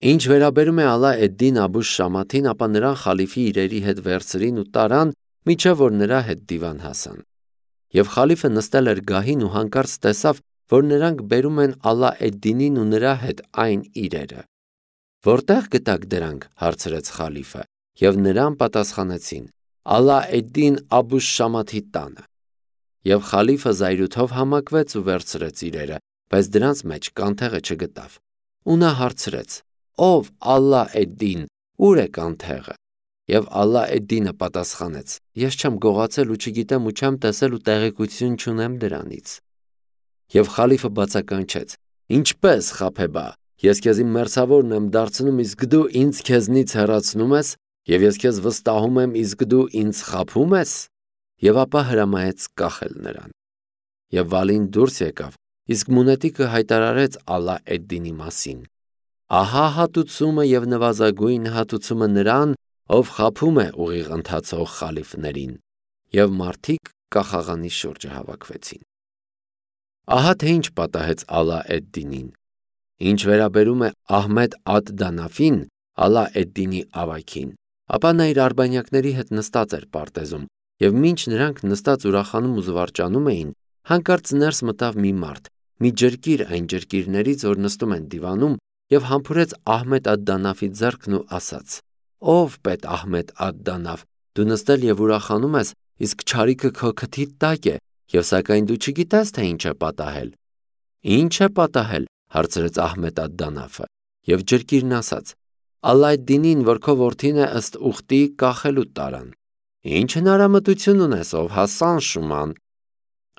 Ինչ վերաբերում է Ալա էդ-Դին Աբուշ Շամաթին, ապա նրան խալիֆի իրերի հետ վերցրին ու տարան, մինչև որ նրա հետ դիվան հասան։ Եվ խալիֆը նստել էր գահին ու հանկարծ տեսավ, որ նրանք բերում են Ալա էդ-Դինին ու նրա հետ այն իրերը։ Որտե՞ղ գտաք դրանք, հարցրեց խալիֆը, եւ նրան պատասխանեցին. Ալա էդ-Դին Աբուշ Շամաթի տանը։ Եվ խալիֆը զայրույթով համակվեց ու վերցրեց իրերը, բայց դրանց մեջ կանթեղը չգտավ։ Ու նա հարցրեց. Ով Ալա էդ-Դին, ուր է կանթեղը։ Եվ Ալա էդ-Դինը պատասխանեց. Ես չեմ գողացել ու չգիտեմ ու չեմ տեսել ու տեղեկություն չունեմ դրանից։ Եվ խալիֆը բացականչեց. Ինչպես խաբեբա, ես քեզ իմ մերձավորն եմ դարձնում, իսկ դու ինձ քեզնից հեռացնում ես, եւ ես քեզ վստահում եմ, իսկ դու ինձ խաբում ես։ Եվ ապա հրամայեց կախել նրան։ Եվ Վալին դուրս եկավ, իսկ մունետիկը հայտարարեց Ալա էդ-Դինի մասին. Ահա հատուցումը եւ նվազագույն հատուցումը նրան, ով խաբում է ուղիղ ընթացող խալիֆներին։ Եվ մարդիկ կախաղանի շուրջը հավաքվեցին։ Ահա թե ինչ պատահեց Ալա էդ-Դինին։ Ինչ վերաբերում է Ահմեդ ադ-Դանաֆին, Ալա էդ-Դինի ավագին, ապա նա իր արբանյակների հետ նստած էր պարտեզում, եւ մինչ նրանք նստած ուրախանում ու զվարճանում էին, հանկարծ ներս մտավ մի մարդ, մի ջրկիր այն ջրկիրներից, որ նստում են դիվանում, եւ համբուրեց Ահմեդ ադ-Դանաֆի ձեռքն ու ասաց. Ով պետ Ահմեդ ադ-Դանաֆ, դու նստել եւ ուրախանում ես, իսկ չարիքը քո քթիդ տակ է, եւ սակայն դու չգիտես, թե ինչ է պատահել։ Ինչ է պատահել, հարցրեց Ահմեդ ադ-Դանաֆը, եւ ջրկիրն ասաց. Ալա էդ-Դինին, որ քո որդին է ըստ ուխտի, կախելու տարան։ Ինչ հնարամտություն ունես, ով Հասան Շուման,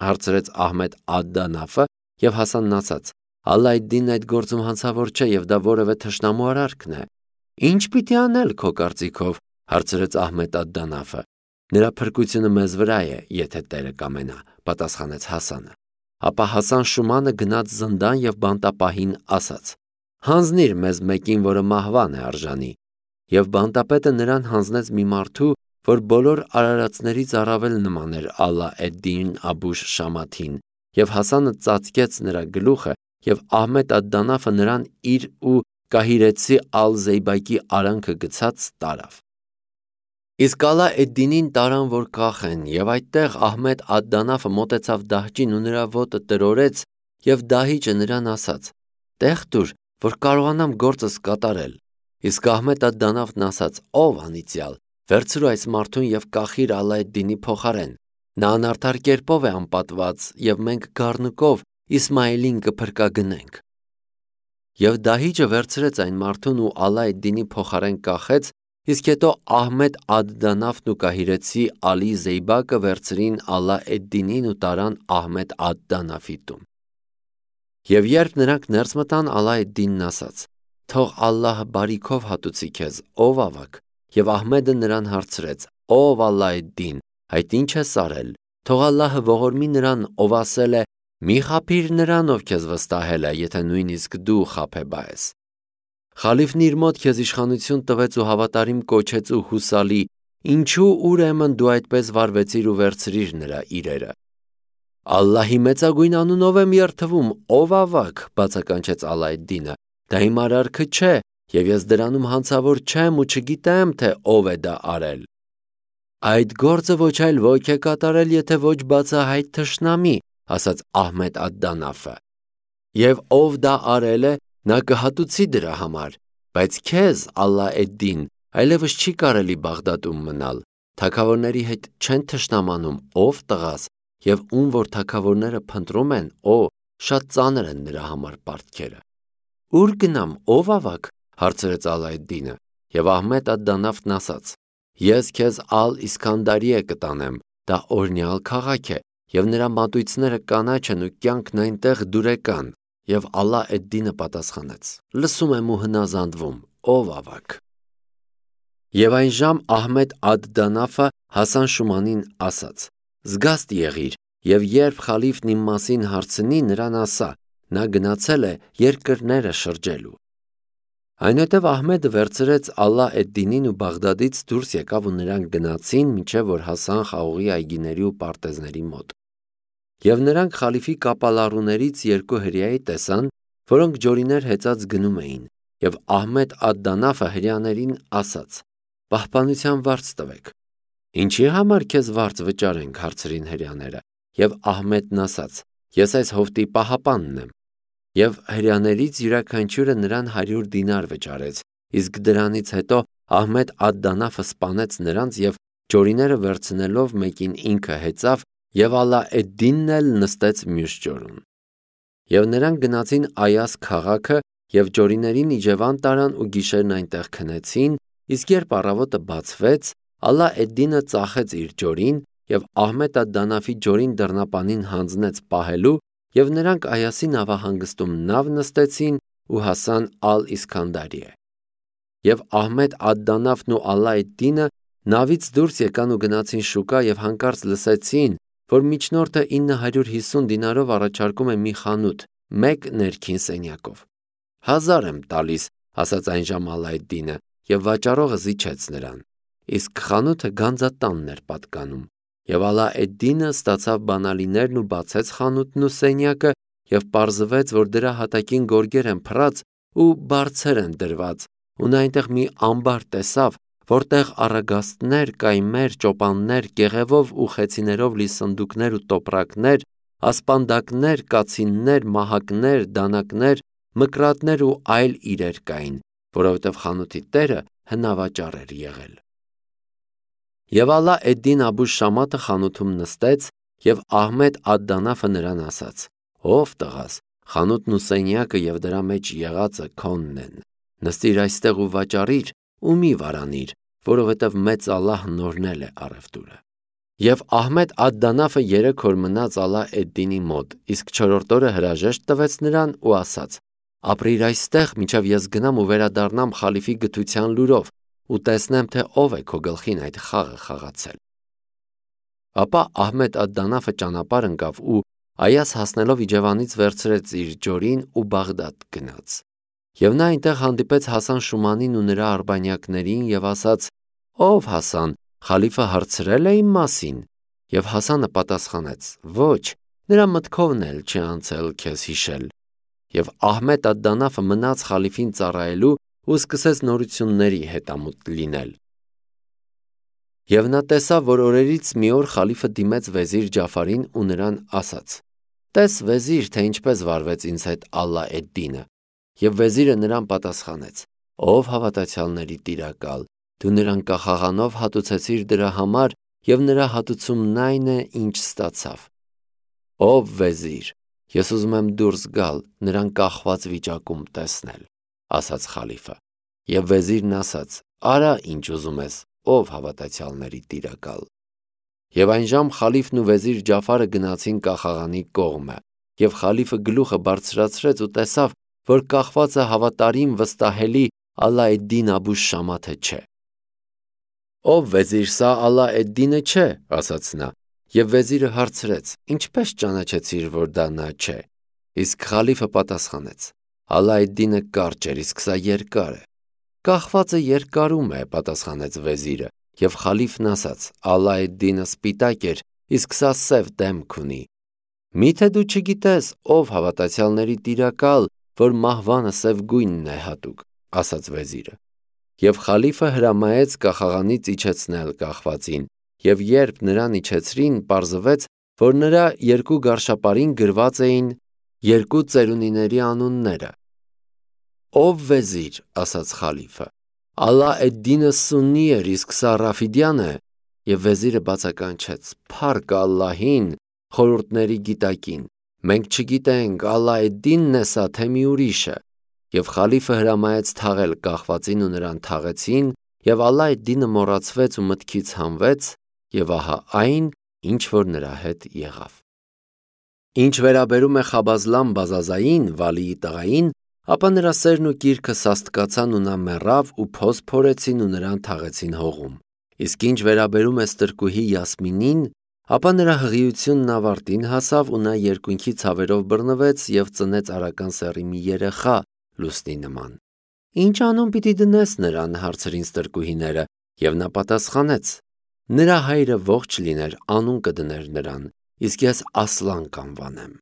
հարցրեց Ահմեդ ադ-Դանաֆը, եւ Հասանն ասաց. Ալա էդ-Դինն այդ գործում հանցավոր չէ եւ դա որևէ թշնամու արարքն է։ Ինչ պիտի անել քո կարծիքով, հարցրեց Ահմեդ ադ-Դանաֆը։ Նրա փրկությունը մեզ վրա է, եթե Տերը կամենա, պատասխանեց Հասանը։ Ապա Հասան Շումանը գնաց զնդան եւ բանտապահին ասաց. Հանձնիր մեզ մեկին, որը մահվան է արժանի։ Եվ բանտապետը նրան հանձնեց մի մարդու, որ բոլոր արարածներից առավել նման էր Ալա էդ-Դին Աբուշ Շամաթին, եւ Հասանը ծածկեց նրա գլուխը, եւ Ահմեդ ադ-Դանաֆը նրան իր ու կահիրեցի Ալ-Զեյբակի արանքը գցած տարավ։ Իսկ Ալա էդ-Դինին տարան, որ կախեն, եւ այդտեղ Ահմեդ ադ-Դանաֆը մոտեցավ դահջին ու նրա ոտը տրորեց, եւ դահիճը նրան ասաց. Տեղ տուր, որ կարողանամ գործս կատարել։ Իսկ Ահմեդ ադ-Դանաֆն ասաց. Ով անիծյալ, վերցրու այս մարդուն եւ կախիր Ալա էդ-Դինի փոխարեն։ Նա անարդար կերպով է անպատված, եւ մենք գառնուկով Իսմայելին կփրկագնենք։ Եվ դահիճը վերցրեց այն մարդուն ու Ալա էդ-Դինի փոխարեն կախեց, իսկ հետո Ահմեդ ադ-Դանաֆն ու կահիրեցի Ալի Զեյբակը վերցրին Ալա էդ-Դինին ու տարան Ահմեդ ադ-Դանաֆի տուն։ Եվ երբ նրանք ներս մտան, Ալա էդ-Դինն ասաց. Թող Ալլահը բարիքով հատուցի քեզ, ով ավակ։ Եվ Ահմեդը նրան հարցրեց. Ով Ալա էդ-Դին, այդ ինչ ես արել։ Թող Ալլահը ողորմի նրան, ով ասել է. Մի խաբիր նրան, ով քեզ վստահել է, եթե նույնիսկ դու խաբեբա ես։ Խալիֆն իր մոտ քեզ իշխանություն տվեց ու հավատարիմ կոչեց ու հուսալի, ինչու ուրեմն դու այդպես վարվեցիր ու վերցրիր նրա իրերը։ Ալլահի մեծագույն անունով եմ երդվում, ով ավակ, բացականչեց Ալա էդ-Դինը, դա իմ արարքը չէ, եւ ես դրանում հանցավոր չեմ ու չգիտեմ, թե ով է դա արել։ Այդ գործը ոչ այլ ոք է կատարել, եթե ոչ բացահայտ թշնամի, ասաց Ահմեդ ադ-Դանաֆը։ Եվ ով դա արել է, նա կհատուցի դրա համար, բայց քեզ, Ալա էդ-Դին, այլևս չի կարելի Բաղդադում մնալ։ Թագավորների հետ չեն թշնամանում, ով տղաս, եւ ում որ թագավորները փնտրում են, շատ ծանր են նրա համար պարտքերը։ Ուր գնամ, ով ավակ, հարցրեց Ալա էդ-Դինը, եւ Ահմեդ ադ-Դանաֆն ասաց. Ես քեզ Ալ-Իսքանդարիե կտանեմ, դա օրնյալ քաղաք է, եւ նրա մատույցները կանաչ են ու կյանքն այնտեղ դուրեկան։ Եվ Ալա էդ-Դինը պատասխանեց. Լսում եմ ու հնազանդվում, ով ավակ։ Եվ այն ժամ Ահմեդ ադ-Դանաֆը Հասան Շումանին ասաց. Զգաստ եղիր, եւ երբ խալիֆն իմ մասին հարցնի, նրան ասա. նա գնացել է երկրները շրջելու։ Այնուհետև Ահմեդը վերցրեց Ալա էդ-Դինին ու Բաղդադից դուրս եկավ ու նրանք գնացին, մինչև որ հասան խաղողի այգիների ու պարտեզների մոտ։ Եվ նրանք խալիֆի կապալառուներից երկու հրեայի տեսան, որոնք ջորիներ հեծած գնում էին, Եվ Ահմեդ ադդանաֆը հրեաներին ասաց. «Պահպանության վարձ տվեք»։ «Ինչի համար քեզ վարձ վճարենք», հարցրին հրեաները։ Եվ Ահմեդն ասաց. «Ես այս հովտի պահապանն եմ»։ Եվ հրեաներից յուրաքանչյուրը նրան 100 դինար վճարեց, իսկ դրանից հետո Ահմեդ ադդանաֆը սպանեց նրանց և ջորիները վերցնելով մեկին ինքը հեծավ և Ալա էդ-Դինն էլ նստեց մյուս ջորում։ Եվ նրանք գնացին Այաս քաղաքը և ջորիներին իջևան տարան ու գիշերն այնտեղ քնեցին, իսկ երբ առավոտը բացվեց, Ալա էդ-Դինը ծախեց իր ջորին և Ահմեդ ադդանաֆի ջորին դռնապանին հանձնեց պահելու, և նրանք Այասի նավահանգստում նավ նստեցին ու հասան Ալ-Իսքանդարիե։ Եվ Ահմեդ ադդանաֆն ու Ալա էդ-Դինը նավից դուրս եկան ու գնացին շուկա և հանկարծ լսեցին, որ միջնորդը 950 դինարով առաջարկում է մի խանութ, մեկ ներքին սենյակով։ 1000 եմ տալիս, ասաց այնժամ Ալա էդ-Դինը, և վաճառողը զիջեց նրան։ Իսկ խանութը գանձատանն էր պատկանում։ Եվ Ալա էդ-Դինը ստացավ բանալիներն ու բացեց խանութն ու սենյակը, և պարզվեց, որ դրա հատակին գորգեր են փռած ու բարձեր են դրված, ու նա այնտեղ մի ամբար տեսավ, որտեղ առագաստներ, կայմեր, ճոպաններ, կեղևով ու խեցիներով լի սնդուկներ ու տոպրակներ, ասպանդակներ, կացիններ, մահակներ, դանակներ, մկրատներ ու այլ իրեր կային, որովհետև խանութի տերը հնավաճառ էր եղել։ Եվ Ալա էդ-Դին Աբու Շամաթը խանութում նստեց, և Ահմեդ ադդանաֆը նրան ասաց. «Ով տղաս, խանութն ու սենյակը և դրա մեջ եղածը քոնն են։ Նստիր այստեղ ու վաճառիր ու մի վարանիր, որովհետև մեծ Ալլահն օրհնել է առևտուրը»։ Եվ Ահմեդ ադդանաֆը 3 օր մնաց Ալա էդ-Դինի մոտ, իսկ 4-րդ օրը հրաժեշտ տվեց նրան ու ասաց. «Ապրիր այստեղ, մինչև ես գնամ ու վերադառնամ խալիֆի գթության լուրով ու տեսնեմ, թե ով է քո գլխին այդ խաղը խաղացել»։ Ապա Ահմեդ ադդանաֆը ճանապարհ ընկավ ու Այաս հասնելով իջևանից վերցրեց իր ջորին ու Բաղդադ գնաց։ Եվ նա այնտեղ հանդիպեց Հասան Շումանին ու նրա արբանյակներին և ասաց. «Ո՞վ Հասան, խալիֆը հարցրել է իմ մասին»։ Եվ Հասանը պատասխանեց. «Ոչ, նրա մտքովն էլ չի անցել քեզ հիշել»։ Եվ Ահմեդ ադդանաֆը մնաց խալիֆին ծառայելու ու սկսեց նորությունների հետամուտ լինել։ Եվ նա տեսավ, որ օրերից մի օր խալիֆը դիմեց վեզիր Ջաֆարին ու նրան ասաց. «Տես վեզիր, թե ինչպես վարվեց ինձ հետ Ալա էդ-Դինը»։ Եվ վեզիրը նրան պատասխանեց. «Ով հավատացյալների տիրակալ, դու նրան կախաղանով հատուցեցիր դրա համար, և նրա հատուցումն այն է, ինչ ստացավ»։ «Ով վեզիր, ես ուզում եմ դուրս գալ, նրան կախված վիճակում տեսնել», ասաց խալիֆը։ Եվ վեզիրն ասաց. «Արա, ինչ ուզում ես, ով հավատացյալների տիրակալ»։ Եվ այնժամ խալիֆն ու վեզիր Ջաֆարը գնացին կախաղանի կողմը, և խալիֆը գլուխը բարձրացրեց ու տեսավ, որ կախվածը հավատարիմ վստահելի Ալա էդ-Դին Աբու Շամաթը չէ։ «Ով վեզիր, սա Ալա էդ-Դինը չէ», ասաց նա։ Եվ վեզիրը հարցրեց. «Ինչպես ճանաչեցիր, որ դա նա չէ»։ Իսկ խալիֆը պատասխանեց. «Ալա էդ-Դինը կարճ էր, իսկ սա երկար է»։ «Կախվածը երկարում է», պատասխանեց վեզիրը։ Եվ խալիֆն ասաց. «Ալա էդ-Դինը սպիտակ էր, իսկ սա սև դեմք ունի»։ «Մի՞թե դու չգիտես, ով հավատացյալների տիրակալ, որ մահվանը սև գույնն է հատուկ», ասաց վեզիրը։ Եվ խալիֆը հրամայեց կախաղանից իջեցնել կախվածին, և երբ նրան իջեցրին, պարզվեց, որ նրա 2 գարշապարին գրված էին 2 ծերունիների անունները։ «Ով վեզիր», ասաց խալիֆը, «Ալա էդ-Դինը սուննի էր, իսկ սա Ռաֆիդյան է»։ Եվ վեզիրը բացականչեց. «Փառք Ալլահին, խորհուրդների գիտակին, մենք չգիտենք Ալա էդ-Դինն է սա, թե մի ուրիշը»։ Եվ խալիֆը հրամայեց թաղել կախվածին ու նրան թաղեցին, և Ալա էդ-Դինը մոռացվեց ու մտքից հանվեց, և ահա այն, ինչ որ նրա հետ եղավ։ Ինչ վերաբերում է Խաբազլամ Բազազային, Վալիի տղային, ապա նրա սերն ու կիրքը սաստկացան ու նա մեռավ ու փոս փորեցին ու նրան թաղեցին հողում։ Իսկ ինչ վերաբերում է ստրկուհի Յասմինին, ապա նրա հղիությունն ավարտին հասավ ու նա երկունքի ցավերով բռնվեց և ծնեց արական սեռի մի երեխա լուսնի նման։ «Ինչ անուն պիտի դնես նրան», հարցրին ստրկուհիները, և նա պատասխանեց. «Նրա հայրը ողջ լիներ, անուն կդներ նրան, իսկ ես Ասլան կանվանեմ»։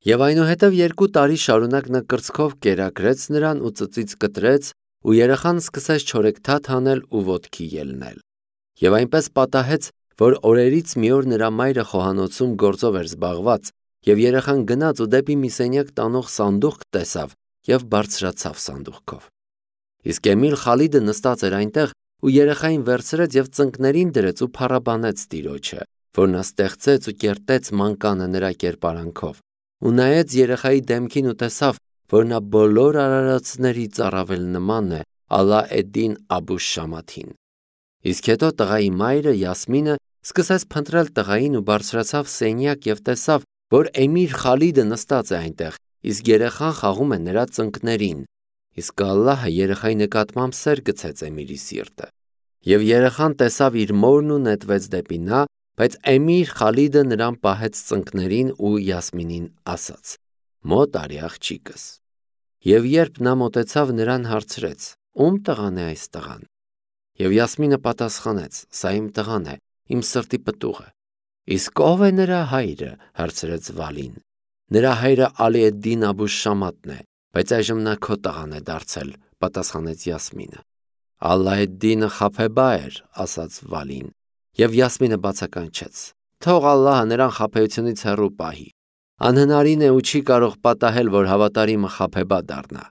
Եվ այնուհետև 2 տարի շարունակ նա կրծքով կերակրեց նրան ու ծծից կտրեց, ու երեխան սկսեց չորեքթաթ անել ու ոտքի ելնել։ Եվ այնպես պատահեց, որ օրերից մի օր նրա մայրը խոհանոցում գործով էր զբաղված, եւ երեխան գնաց ու դեպի մի սենյակ տանող սանդուղք տեսավ եւ բարձրացավ սանդուղքով։ Իսկ Էմիլ Խալիդը նստած էր այնտեղ ու երեխային վերցրեց եւ ծնկներին դրեց ու փառաբանեց Տիրոջը, որ նա ստեղծեց ու կերտեց մանկանը նրա կերպարանքով, ու նայեց երեխայի դեմքին ու տեսավ, որ նա բոլոր արարածներից առավել նման է Ալա էդ-Դին Աբուշ Շամաթին։ Իսկ հետո տղայի մայրը Յասմինը սկսեց փնտրել տղային ու բարձրացավ սենյակ եւ տեսավ, որ Էմիր Խալիդը նստած է այնտեղ, իսկ երեխան խաղում է նրա ծնկներին։ Իսկ Ալլահը երեխայի նկատմամբ սեր գցեց Էմիրի սիրտը։ Եվ երեխան տեսավ իր մորն ու նետվեց դեպի նա, բայց Էմիր Խալիդը նրան պահեց ծնկներին ու Յասմինին ասաց. «Մոտ արի աղջիկս»։ Եվ երբ նա մոտեցավ, նրան հարցրեց. «Ում տղան է այս տղան»։ Եվ Յասմինը պատասխանեց. «Սա իմ տղան է, իմ սրտի պտուղը»։ «Իսկ ով է նրա հայրը»։ հարցրեց Վալին։ «Նրա հայրը Ալի էդ-Դին Աբուշ Շամաթն է, բայց այժմ նա քո տղան է դարձել», պատասխանեց Յասմինը։ «Ալա էդ-Դինը խաբեբա էր», ասաց Վալին։ Եվ Յասմինը բացականչեց. «Թող Ալլահը նրան խաբեությունից հեռու պահի։ Անհնարին է ու չի կարող պատահել, որ հավատարիմը խաբեբա դառնա։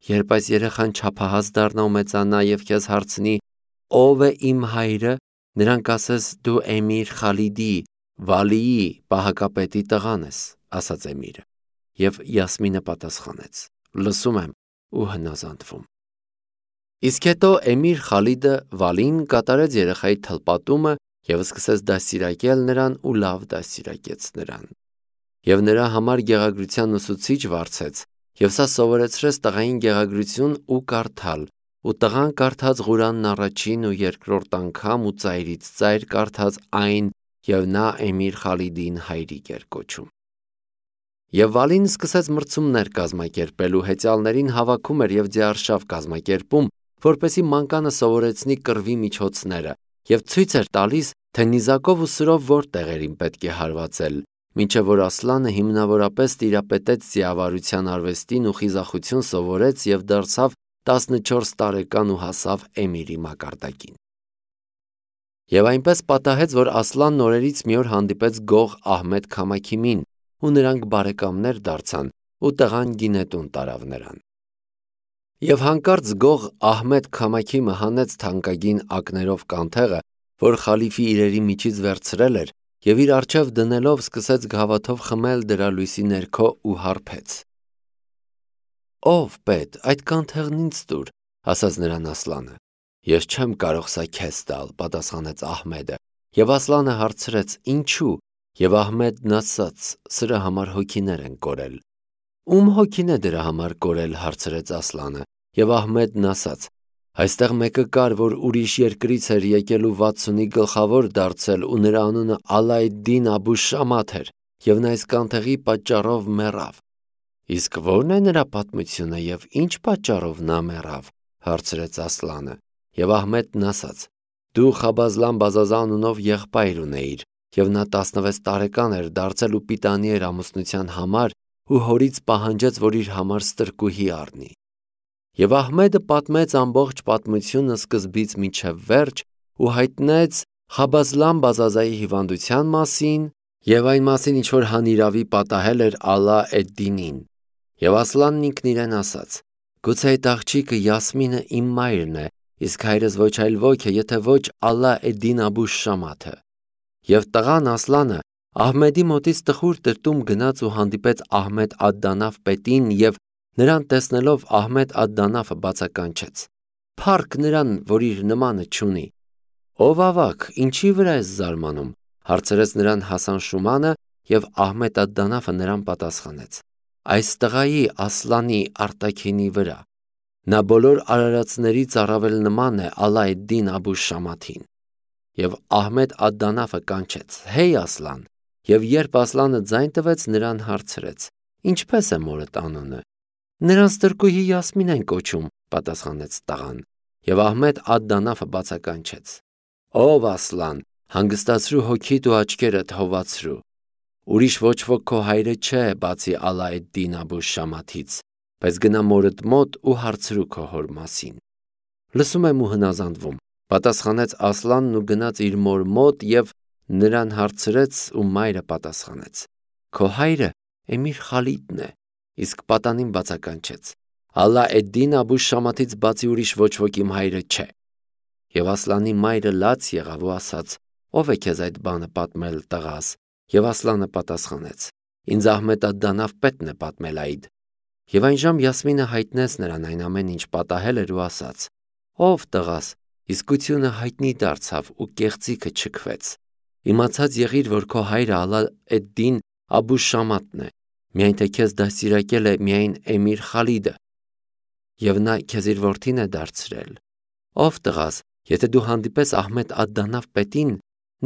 Երբ այս երեխան չափահաս դառնա ու մեծանա եւ քեզ հարցնի. ով է իմ հայրը, նրան կասես դու Էմիր Խալիդի, Վալիի, պահակապետի տղան ես», ասաց Էմիրը։ Եվ Յասմինը պատասխանեց. «Լսում եմ» ու հնազանդվում։ Իսկ հետո Էմիր Խալիդը Վալին կատարեց երեխայի թլպատումը եւ սկսեց դաստիարակել նրան ու լավ դաստիարակեց նրան։ Եվ նրա համար գեղագրության ուսուցիչ վարձեց, եւ սա սովորեցրեց տղային գեղագրություն ու կարդալ, ու տղան կարդաց Ղուրանն առաջին ու երկրորդ անգամ ու ծայրից ծայր կարդաց այն, եւ նա Էմիր Խալիդին հայրիկ էր կոչում։ Եվ Վալին սկսեց մրցումներ կազմակերպել ու հեծյալներին հավաքում էր եւ ձիարշավ կազմակերպում, որպեսզի մանկանը սովորեցնի կռվի միջոցները եւ ցույց էր տալիս, թե նիզակով ու սրով որ տեղերին պետք է հարվածել, մինչև որ Ասլանը հիմնավորապես տիրապետեց ձիավարության արվեստին ու խիզախություն սովորեց եւ դարձավ 14 տարեկան ու հասավ Էմիրի մակարդակին։ Եվ այնպես պատահեց, որ Ասլանն օրերից մի օր հանդիպեց Գող Ահմեդ Քամաքիմին, ու նրանք բարեկամներ դարձան, ու տղան գինետուն տարավ նրան։ Եվ հանկարծ Գող Ահմեդ Քամաքիմը հանեց թանկագին ակներով կանթեղը, որ խալիֆի իրերի միջից վերցրել էր, եւ իր առջև դնելով սկսեց գավաթով խմել դրա լույսի ներքո ու հարբեց։ «Ով պետ, այդ կանթեղն ինձ տուր», ասաց նրան Ասլանը։ «Ես չեմ կարող սա քեզ տալ», պատասխանեց Ահմեդը, եւ Ասլանը հարցրեց. «Ինչու»։ Եվ Ահմեդն ասաց. «Սրա համար հոգիներ են կորել»։ «Ում հոգին է դրա համար կորել», հարցրեց Ասլանը, եւ Ահմեդն ասաց. «Այստեղ մեկը կար, որ ուրիշ երկրից էր եկել ու 60-ի գլխավոր դարձել, ու նրա անունը Ալա էդ-Դին Աբուշ Շամաթ էր, եւ նա այս կանթեղի պատճառով մեռավ»։ «Իսկ ո՞րն է նրա պատմությունը եւ ինչ պատճառով նա մեռավ», հարցրեց Ասլանը, եւ Ահմեդն ասաց. «Դու Խաբազլան Բազազա անունով եղբայր ունեիր, եւ նա 16 տարեկան էր դարձել ու պիտանի էր ամուսնության համար ու հորից պահանջեց, որ իր համար ստրկուհի առնի»։ Եվ Ահմեդը պատմեց ամբողջ պատմությունը սկզբից մինչև վերջ ու հայտնեց Խաբազլան Բազազայի հիվանդության մասին եւ այն մասին, ինչ որ հանիրավի պատահել էր Ալա էդ-Դինին։ Եվ Ասլանն ինքն իրեն ասաց. «Գուցե այդ աղջիկը Յասմինը իմ մայրն է, իսկ հայրս ոչ այլ ոք է, եթե ոչ Ալա էդ-Դին Աբուշ Շամաթը»։ Եվ տղան Ասլանը Ահմեդի մոտից տխուր տրտում գնաց ու հանդիպեց Ահմեդ ադ-Դանաֆ պետին եւ նրան տեսնելով Ահմեդ ադ-Դանաֆը բացականչեց. «Փառք նրան, որ իր նմանը չունի»։ «Ով ավակ, ինչի վրա ես զարմանում», հարցրեց նրան Հասան Շումանը, եւ Ահմեդ ադ-Դանաֆը նրան պատասխանեց. «Այս տղայի Ասլանի արտաքինի վրա։ Նա բոլոր արարածներից առավել նման է Ալա էդ-Դին Աբուշ Շամաթին»։ Եվ Ահմեդ ադ-Դանաֆը կանչեց. «Հեյ Ասլան», եւ երբ Ասլանը ձայն տվեց, նրան հարցրեց. «Ինչպես է մորդ անունը»։ «Նրան ստրկուհի Յասմին են կոչում», պատասխանեց տղան։ Եվ Ահմեդ ադ-Դանաֆը բացականչեց. «Ով Ասլան, հանգստացրու հոգիդ ու աչքերդ հովացրու»։ Ուրիշ ոչ ոք քո հայրը չէ, բացի Ալա էդ-Դին Աբու Շամաթից, բայց գնա մորդ մոտ ու հարցրու քո հոր մասին։ Լսում եմ ու հնազանդվում, պատասխանեց Ասլանն ու գնաց իր մոր մոտ և նրան հարցրեց ու մայրը պատասխանեց. Քո հայրը Էմիր Խալիդն է, իսկ պատանին բացականչեց. Ալա էդ-Դին Աբու Շամաթից բացի ուրիշ ոչ ոք իմ հայրը չէ։ Եվ Ասլանի մայրը լաց եղավ ու ասաց. Ո՞վ է քեզ այդ բանը պատմել, տղաս։ Եվ Ասլանը պատասխանեց. Ինձ Ահմեդ ալ-Դանաֆ պետն է պատմել այդ։ Եվ այն ժամ Յասմինը հայտնեց նրան այն ամեն ինչ պատահել էր ու ասաց. Ով տղաս, իսկությունը հայտնի դարձավ ու կեղծիքը չքվեց։ Իմացած եղիր, որ քո հայրը Ալա էդ-Դին Աբու Շամաթն է, միայն թե քեզ դաստիարակել է միայն Էմիր Խալիդը, և նա քեզ իր որդին է դարձրել։ Ով տղաս, եթե դու հանդիպես Ահմեդ ալ-Դանաֆ պետին,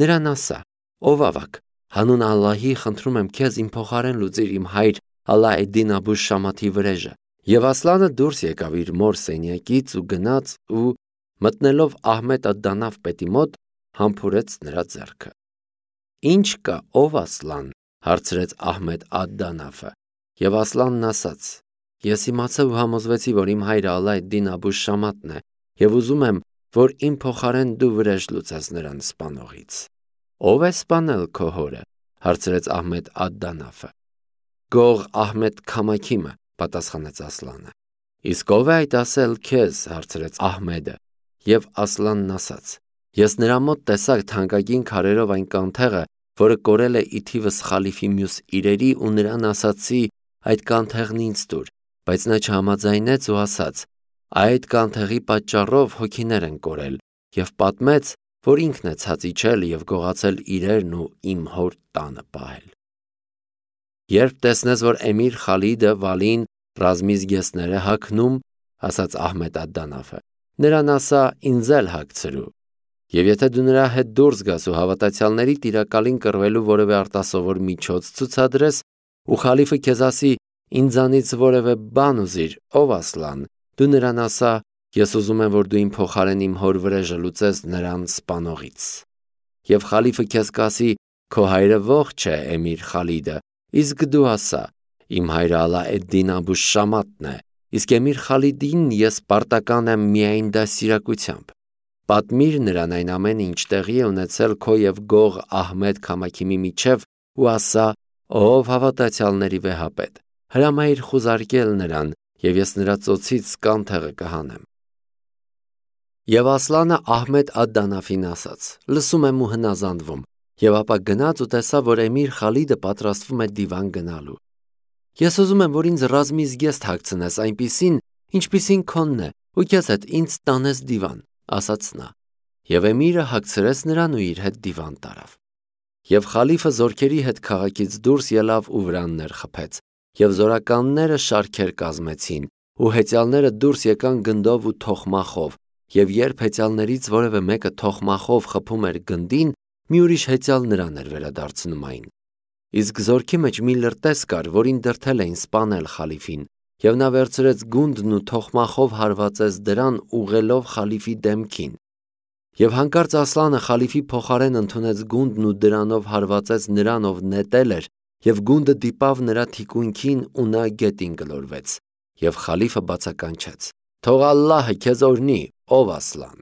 նրան ասա. ով ավակ, հանուն Ալլահի խնդրում եմ քեզ իմ փոխարեն լուծիր իմ հայր Ալա էդ-Դին Աբու Շամաթի վրեժը։ Եվ Ասլանը դուրս եկավ իր մոր սենյակից ու գնաց ու մտնելով Ահմեդ ալ-Դանաֆ պետի մոտ համբուրեց նրա ձեռքը։ Ինչ կա, ով Ասլան, հարցրեց Ահմեդ ալ-Դանաֆը։ Եվ Ասլանն ասաց. Ես իմացա ու համոզվեցի, որ իմ հայրը Ալա էդ-Դին Աբու Շամաթն է, և ուզում եմ, որ իմ փոխարեն դու վրեժ լուծես նրան սպանողից։ Ո՞վ է սպանել քո հորը, հարցրեց Ահմեդ ալ-Դանաֆը։ Գող Ահմեդ Քամաքիմը, պատասխանեց Ասլանը։ Իսկ ո՞վ է այդ ասել քեզ, հարցրեց Ահմեդը։ Եվ Ասլանն ասաց. Ես նրա մոտ տեսա թանկագին քարերով այն կանթեղը, որը կորել է ի թիվս խալիֆի մյուս իրերի ու նրան ասացի. այդ կանթեղն ինձ տուր, բայց նա չհամաձայնեց ու ասաց. այդ կանթեղի պատճառով հոգիներ են կորել, և պատմեց, որ ինքն է ցած իջել և գողացել իրերն ու իմ հոր տանը պահել։ Երբ տեսնես, որ Էմիր Խալիդը Վալին ռազմի զգեստներ է հագնում, ասաց Ահմեդ ալ-Դանաֆը, նրան ասա ինձ էլ հագցրու։ Եվ եթե դու նրա հետ դուրս գաս ու հավատացյալների տիրակալին կռվելու որևէ արտասովոր միջոց ցուցադրես, ու խալիֆը քեզ ասի ինձանից որևէ բան ուզիր, ով Ասլան, դու նրան ասա. ես ուզում եմ, որ դու իմ փոխարեն իմ հոր վրեժը լուծես նրան սպանողից։ Եվ խալիֆը քեզ կասի. քո հայրը ողջ է Էմիր Խալիդը, իսկ դու ասա. իմ հայրը Ալա էդ-Դին Աբու Շամաթն է, իսկ Էմիր Խալիդին ես պարտական եմ միայն դաստիարակությամբ։ Պատմիր նրան այն ամենը, ինչ տեղի է ունեցել քո և գող Ահմեդ Քամաքիմի միջև ու ասա. ով հավատացյալների վեհապետ, հրամայիր խուզարկել նրան, և ես նրա ծոցից կանթեղը կհանեմ։ Եվ Ասլանը Ահմեդ ալ-Դանաֆին ասաց. լսում եմ ու հնազանդվում, և ապա գնաց ու տեսավ, որ Էմիր Խալիդը պատրաստվում է դիվան գնալու։ Ես ուզում եմ, որ ինձ ռազմի զգեստ հագցնես այնպիսին, ինչպիսին քոնն է, ու քեզ հետ ինձ տանես դիվան, ասաց նա։ Եվ Էմիրը հագցրեց նրան ու իր հետ դիվան տարավ։ Եվ խալիֆը զորքերի հետ քաղաքից դուրս ելավ ու վրաններ խփեց, և զորականները շարքեր կազմեցին, ու հեծյալները դուրս եկան գնդով ու թոխմախով, և երբ հեծյալներից որևէ մեկը թոխմախով խփում էր գնդին, մի ուրիշ հեծյալ նրան էր վերադարձնում այն։ Իսկ զորքի մեջ մի լրտես կար, որին դրդել էին սպանել խալիֆին, և նա վերցրեց գունդն ու թոխմախով հարվածեց դրան ուղղելով խալիֆի դեմքին։ Եվ հանկարծ Ասլանը խալիֆի փոխարեն ընդունեց գունդն ու դրանով հարվածեց նրան, ով նետել էր, և գունդը դիպավ նրա թիկունքին ու նա գետին գլորվեց։ Եվ խալիֆը բացականչեց. Թող Ալլահը քեզ օրհնի, ով Ասլան։